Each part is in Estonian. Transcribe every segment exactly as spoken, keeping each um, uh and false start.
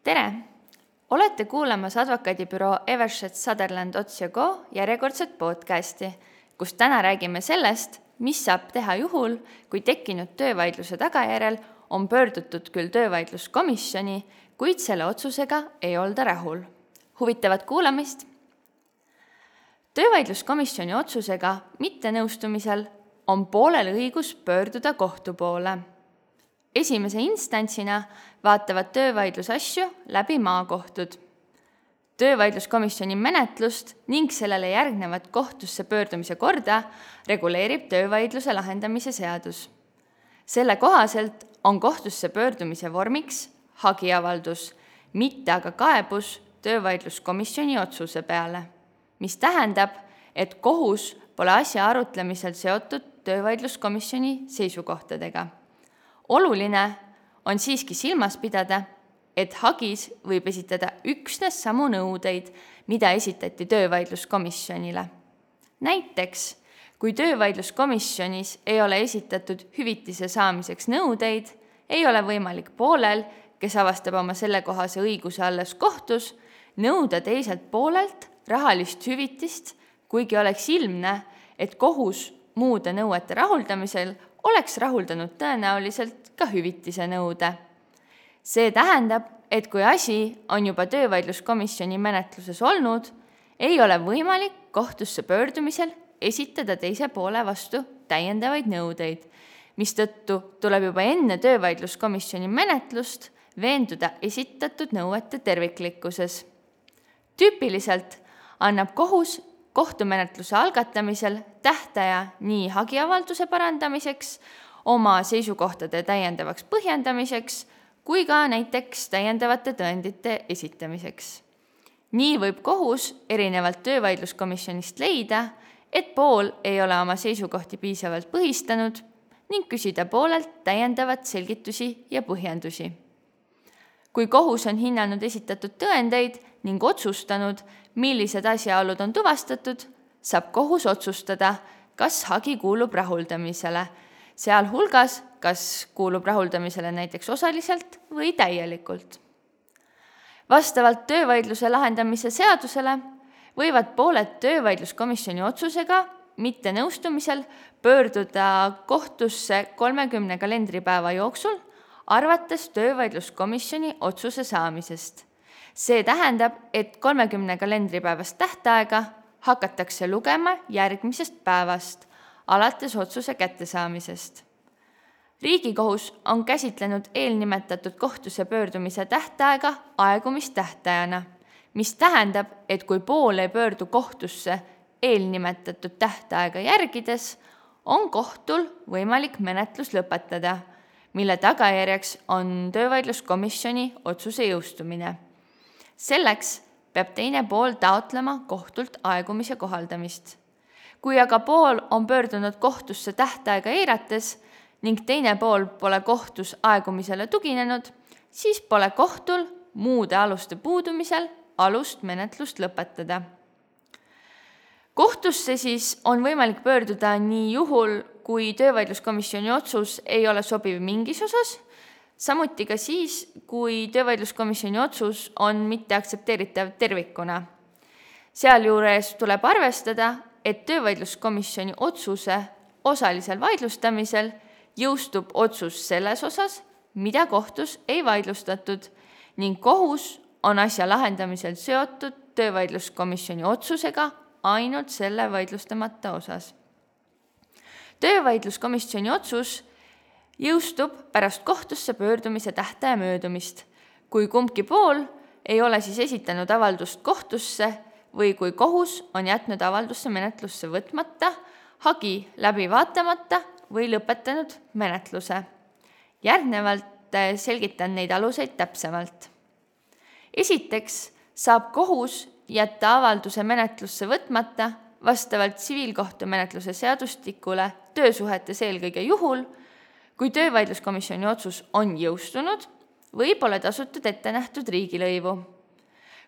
Tere! Olete kuulamas advokaadibüroo Evershed Sutherland Ots ja Go järjekordset podcasti, kus täna räägime sellest, mis saab teha juhul, kui tekkinud töövaidluse tagajärjel on pöördutud küll töövaidluskomisjoni, kuid selle otsusega ei olda rahul. Huvitavat kuulamist! Töövaidluskomisjoni otsusega mittenõustumisel on poolel õigus pöörduda kohtu poole. Esimese instantsina vaatavad töövaidlusasju läbi maakohtud. Töövaidluskomisjoni menetlust ning sellele järgnevat kohtusse pöördumise korda reguleerib töövaidluse lahendamise seadus. Selle kohaselt on kohtusse pöördumise vormiks hagiavaldus, mitte aga kaebus töövaidluskomisjoni otsuse peale, mis tähendab, et kohus pole asja arutlemisel seotud töövaidluskomisjoni seisukohtadega. Oluline on siiski silmas pidada, et hagis võib esitada üksnes samu nõudeid, mida esitati töövaidluskomisjonile. Näiteks, kui töövaidluskomisjonis ei ole esitatud hüvitise saamiseks nõudeid, ei ole võimalik poolel, kes avastab oma sellekohase õiguse alles kohtus, nõuda teiselt poolelt rahalist hüvitist, kuigi oleks ilmne, et kohus muude nõuete rahuldamisel oleks rahuldanud tõenäoliselt ka hüvitise nõude. See tähendab, et kui asi on juba töövaidluskomisjoni menetluses olnud, ei ole võimalik kohtusse pöördumisel esitada teise poole vastu täiendavaid nõudeid, mistõttu tuleb juba enne töövaidluskomisjoni menetlust veenduda esitatud nõuete terviklikkuses. Tüüpiliselt annab kohus kohtumenetluse algatamisel tähtaja nii hagiavalduse parandamiseks, oma seisukohtade täiendavaks põhjendamiseks, kui ka näiteks täiendavate tõendite esitamiseks. Nii võib kohus erinevalt töövaidluskomisjonist leida, et pool ei ole oma seisukohti piisavalt põhistanud ning küsida poolelt täiendavat selgitusi ja põhjendusi. Kui kohus on hinnanud esitatud tõendeid ning otsustanud, millised asjaolud on tuvastatud, saab kohus otsustada, kas hagi kuulub rahuldamisele, sealhulgas kas kuulub rahuldamisele näiteks osaliselt või täielikult. Vastavalt töövaidluse lahendamise seadusele võivad pooled töövaidluskomisjoni otsusega mittenõustumisel pöörduda kohtusse kolmekümne kalendripäeva jooksul, arvates töövaidluskomisjoni otsuse saamisest. See tähendab, et kolmekümne kalendripäevast tähtaega hakatakse lugema järgmisest päevast, alates otsuse kättesaamisest. Riigikohus on käsitlenud eelnimetatud kohtusse pöördumise tähtaega aegumistähtajana, mis tähendab, et kui pool ei pöördu kohtusse eelnimetatud tähtaega järgides, on kohtul võimalik menetlus lõpetada, mille tagajärjeks on töövaidluskomisjoni otsuse jõustumine. Selleks peab teine pool taotlema kohtult aegumise kohaldamist. Kui aga pool on pöördunud kohtusse tähtaega eirates ning teine pool pole kohtus aegumisele tuginenud, siis pole kohtul muude aluste puudumisel alust menetlust lõpetada. Kohtusse siis on võimalik pöörduda nii juhul, kui töövaidluskomisjoni otsus ei ole sobiv mingis osas, samuti ka siis, kui töövaidluskomisjoni otsus on mitteaktsepteeritav tervikuna. Sealjuures tuleb arvestada, et töövaidluskomisjoni otsuse osalisel vaidlustamisel jõustub otsus selles osas, mida kohtus ei vaidlustatud ning kohus on asja lahendamisel seotud töövaidluskomisjoni otsusega ainult selle vaidlustamata osas. Töövaidluskomisjoni otsus jõustub pärast kohtusse pöördumise tähtaja möödumist, kui kumbki pool ei ole siis esitanud avaldust kohtusse või kui kohus on jätnud avaldusse menetlusse võtmata, hagi läbi vaatamata või lõpetanud menetluse. Järgnevalt selgitan neid aluseid täpsemalt. Esiteks saab kohus jätta avalduse menetlusse võtmata vastavalt tsiviilkohtumenetluse seadustikule töösuhetes eelkõige juhul, kui töövaidluskomisjoni otsus on jõustunud või pole tasutud ette nähtud riigilõivu.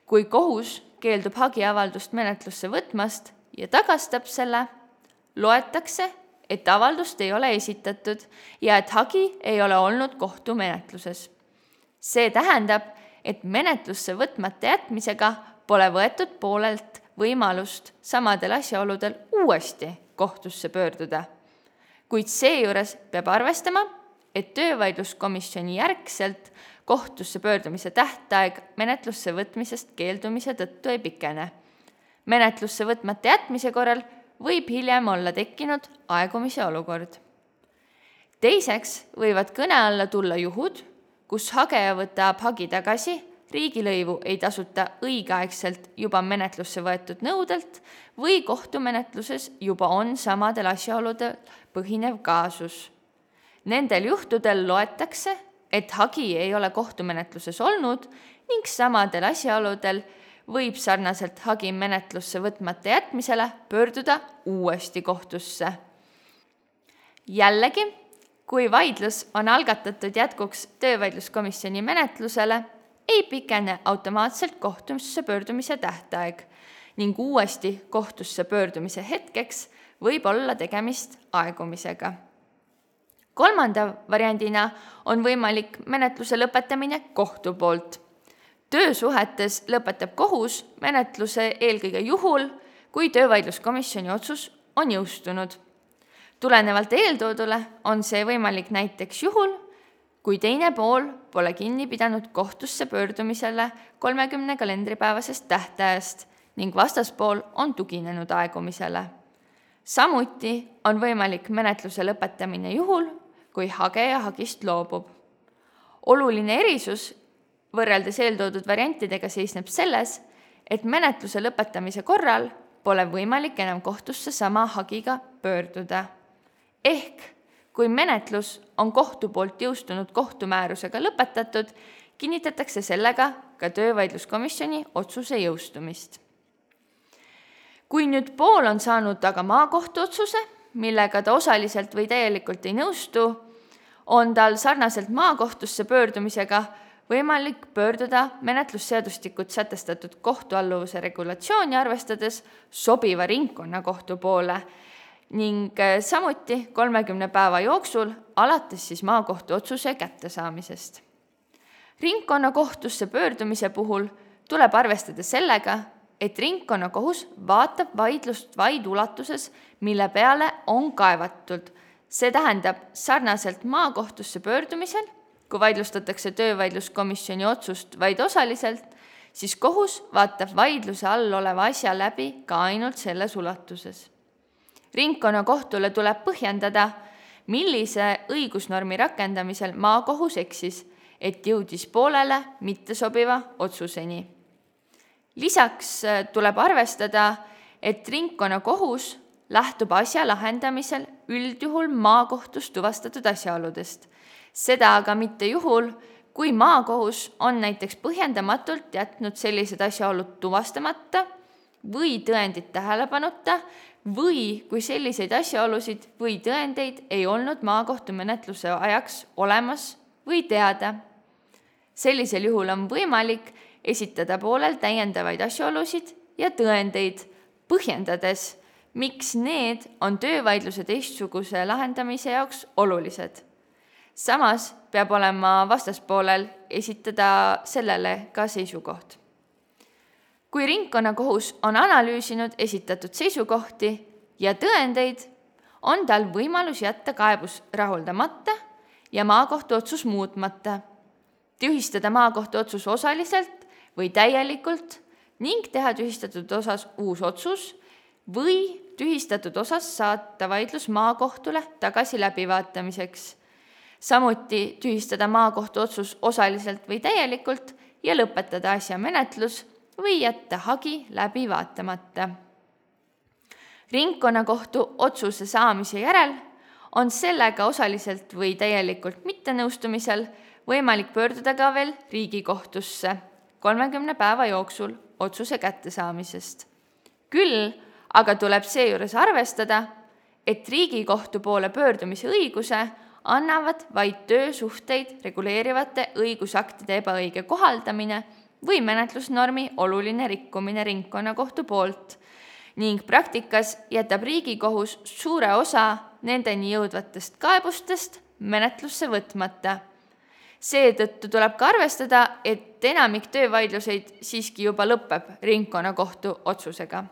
Kui kohus keeldub hagiavaldust menetlusse võtmast ja tagastab selle, loetakse, et avaldust ei ole esitatud ja et hagi ei ole olnud kohtumenetluses. See tähendab, et menetlusse võtmata jätmisega pole võetud poolelt võimalust samadel asjaoludel uuesti kohtusse pöörduda. Kuid seejuures peab arvestama, et töövaidluskomisjoni järgselt kohtusse pöördumise tähtaeg menetlusse võtmisest keeldumise tõttu ei pikene. Menetlusse võtmata jätmise korral võib hiljem olla tekkinud aegumise olukord. Teiseks võivad kõne alla tulla juhud, kus hageja võtab hagi tagasi, riigilõivu ei tasuta õigeaegselt juba menetlusse võetud nõudelt või kohtumenetluses juba on samadel asjaoludel põhinev kaasus. Nendel juhtudel loetakse, et hagi ei ole kohtumenetluses olnud ning samadel asjaoludel võib sarnaselt hagi menetlusse võtmata jätmisele pöörduda uuesti kohtusse. Jällegi, kui vaidlus on algatatud jätkuks töövaidluskomisjoni menetlusele, ei pikene automaatselt kohtusse pöördumise tähtaeg ning uuesti kohtusse pöördumise hetkeks võib olla tegemist aegumisega. Kolmanda variandina on võimalik menetluse lõpetamine kohtu poolt. Töösuhetes lõpetab kohus menetluse eelkõige juhul, kui töövaidluskomisjoni otsus on jõustunud. Tulenevalt eeltoodule on see võimalik näiteks juhul, kui teine pool pole kinni pidanud kohtusse pöördumisele kolmekümne kalendripäevasest tähtajast ning vastaspool on tuginenud aegumisele. Samuti on võimalik menetluse lõpetamine juhul, kui hageja hagist loobub. Oluline erisus võrreldes eeltoodud variantidega seisneb selles, et menetluse lõpetamise korral pole võimalik enam kohtusse sama hagiga pöörduda. Ehk, kui menetlus on kohtu poolt jõustunud kohtumäärusega lõpetatud, kinnitatakse sellega ka töövaidluskomisjoni otsuse jõustumist. Kui nüüd pool on saanud aga maakohtu otsuse, millega ta osaliselt või täielikult ei nõustu, on tal sarnaselt maakohtusse pöördumisega võimalik pöörduda menetlusseadustikut sätestatud kohtualluvuse regulatsiooni arvestades sobiva ringkonnakohtu poole ning samuti kolmekümne päeva jooksul alates siis maakohtu otsuse kättesaamisest. Ringkonnakohtusse pöördumise puhul tuleb arvestada sellega, et ringkonnakohus vaatab vaidlust vaid ulatuses, mille peale on kaevatud. See tähendab sarnaselt maakohtusse pöördumisel, kui vaidlustatakse töövaidluskomisjoni otsust vaid osaliselt, siis kohus vaatab vaidluse all oleva asja läbi ka ainult selles ulatuses. Ringkonnakohtule tuleb põhjendada, millise õigusnormi rakendamisel maakohus eksis, et jõudis poolele mittesobiva otsuseni. Lisaks tuleb arvestada, et ringkonnakohus lähtub asja lahendamisel üldjuhul maakohtus tuvastatud asjaoludest. Seda aga mitte juhul, kui maakohus on näiteks põhjendamatult jätnud sellised asjaolud tuvastamata või tõendid tähelepanuta või kui selliseid asjaolusid või tõendeid ei olnud maakohtumenetluse ajaks olemas või teada. Sellisel juhul on võimalik esitada poolel täiendavaid asjaolusid ja tõendeid, põhjendades, miks need on töövaidluse teistsuguse lahendamise jaoks olulised. Samas peab olema vastaspoolel esitada sellele ka seisukoht. Kui ringkonnakohus on analüüsinud esitatud seisukohti ja tõendeid, on tal võimalus jätta kaebus rahuldamata ja maakohtu otsus muutmata, tühistada maakohtu otsus osaliselt või täielikult ning teha tühistatud osas uus otsus või tühistatud osas saata vaidlus maakohtule tagasi läbivaatamiseks. Samuti tühistada maakohtu otsus osaliselt või täielikult ja lõpetada asja menetlus või jätta hagi läbi vaatamata. Ringkonnakohtu otsuse saamise järel on sellega osaliselt või täielikult mittenõustumisel võimalik pöörduda ka veel Riigikohtusse kolmekümne päeva jooksul otsuse kättesaamisest. Küll aga tuleb seejuures arvestada, et Riigikohtu poole pöördumise õiguse annavad vaid töösuhteid reguleerivate õigusaktide ebaõige kohaldamine või menetlusnormi oluline rikkumine ringkonnakohtu poolt ning praktikas jätab Riigikohus suure osa nendeni jõudvatest kaebustest menetlusse võtmata. Seetõttu tuleb ka arvestada, et enamik töövaidluseid siiski juba lõpeb ringkonnakohtu otsusega.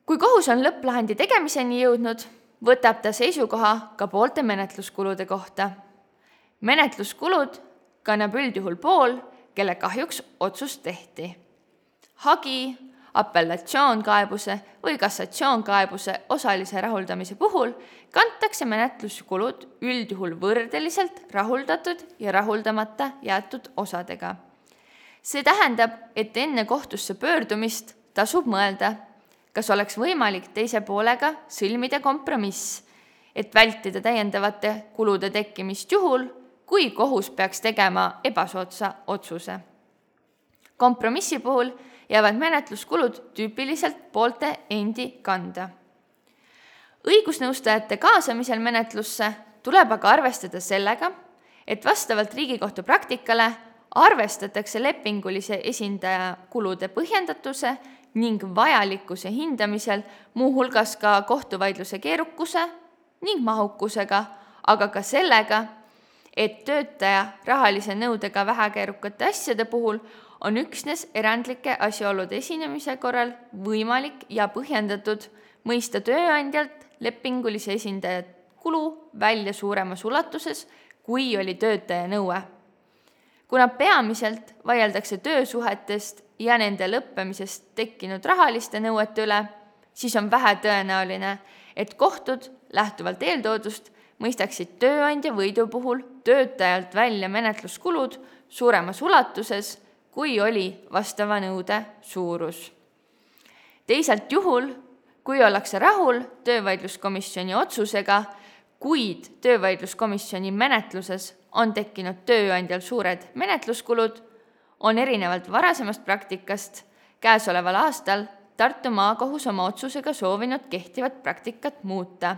Kui kohus on lõpplahendi tegemiseni jõudnud, võtab ta seisukoha ka poolte menetluskulude kohta. Menetluskulud kannab üldjuhul pool, kelle kahjuks otsus tehti. Hagi, apellatsioonkaebuse või kassatsioonkaebuse osalise rahuldamise puhul kantakse menetluskulud üldjuhul võrdeliselt rahuldatud ja rahuldamata jäetud osadega. See tähendab, et enne kohtusse pöördumist tasub mõelda, kas oleks võimalik teise poolega sõlmida kompromiss, et vältida täiendavate kulude tekkimist juhul, kui kohus peaks tegema ebasoodsa otsuse. Kompromissi puhul jäävad menetluskulud tüüpiliselt poolte endi kanda. Õigusnõustajate kaasamisel menetlusse tuleb aga arvestada sellega, et vastavalt Riigikohtu praktikale arvestatakse lepingulise esindaja kulude põhjendatuse ning vajalikkuse hindamisel muuhulgas ka kohtuvaidluse keerukuse ning mahukusega, aga ka sellega, et töötaja rahalise nõudega vähekeerukate asjade puhul on üksnes erandlike asjaolude esinemise korral võimalik ja põhjendatud mõista tööandjalt lepingulise esindaja kulu välja suuremas ulatuses, kui oli töötaja nõue. Kuna peamiselt vaieldakse töösuhetest ja nende lõppemisest tekkinud rahaliste nõuete üle, siis on vähe tõenäoline, et kohtud lähtuvalt eeltoodust mõistaksid tööandja võidu puhul töötajalt välja menetluskulud suuremas ulatuses, kui oli vastava nõude suurus. Teisalt juhul, kui ollakse rahul töövaidluskomisjoni otsusega, kuid töövaidluskomisjoni menetluses on tekkinud tööandjal suured menetluskulud, on erinevalt varasemast praktikast käesoleval aastal Tartu maakohus oma otsusega soovinud kehtivat praktikat muuta.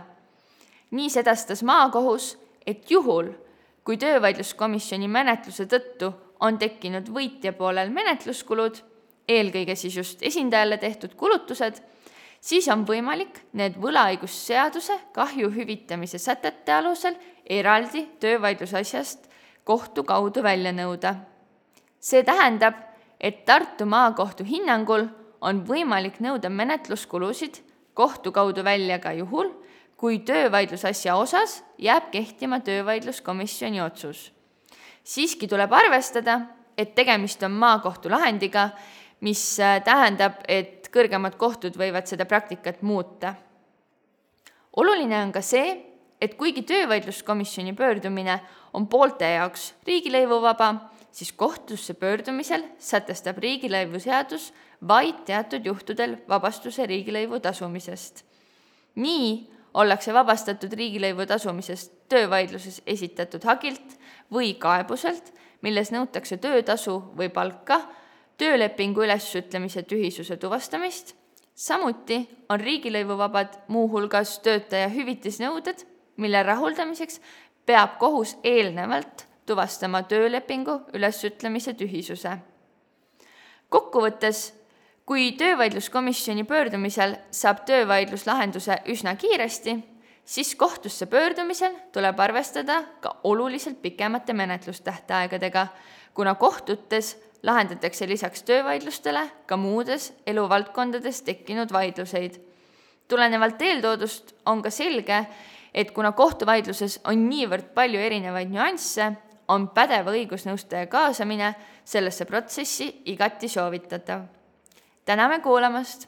Nii sedastas maakohus, et juhul, kui töövaidluskomisjoni menetluse tõttu on tekkinud võitja poolel menetluskulud, eelkõige siis just esindajale tehtud kulutused, siis on võimalik need võlaõigusseaduse kahju hüvitamise sätete alusel eraldi töövaidlusasjast kohtu kaudu välja nõuda. See tähendab, et Tartu maakohtu hinnangul on võimalik nõuda menetluskulusid kohtu kaudu välja ka juhul, kui töövaidlusasja osas jääb kehtima töövaidluskomisjoni otsus. Siiski tuleb arvestada, et tegemist on maakohtu lahendiga, mis tähendab, et kõrgemad kohtud võivad seda praktikat muuta. Oluline on ka see, et kuigi töövaidluskomisjoni pöördumine on poolte jaoks riigilõivuvaba, siis kohtusse pöördumisel sätestab riigilõivuseadus vaid teatud juhtudel vabastuse riigilõivu tasumisest. Nii ollakse vabastatud riigilõivu tasumisest töövaidluses esitatud hagilt või kaebuselt, milles nõutakse töötasu või palka, töölepingu ülesütlemise tühisuse tuvastamist. Samuti on riigilõivuvabad muuhulgas töötaja hüvitisnõuded, mille rahuldamiseks peab kohus eelnevalt tuvastama töölepingu ülesütlemise tühisuse. Kokkuvõttes, kui töövaidluskomisjoni pöördumisel saab töövaidlus lahenduse üsna kiiresti, siis kohtusse pöördumisel tuleb arvestada ka oluliselt pikemate menetlustähtaegadega, kuna kohtutes lahendatakse lisaks töövaidlustele ka muudes eluvaldkondades tekkinud vaidluseid. Tulenevalt eeltoodust on ka selge, et kuna kohtuvaidluses on niivõrd palju erinevaid nüansse, on pädeva õigusnõustaja kaasamine sellesse protsessi igati soovitatav. Täname kuulamast!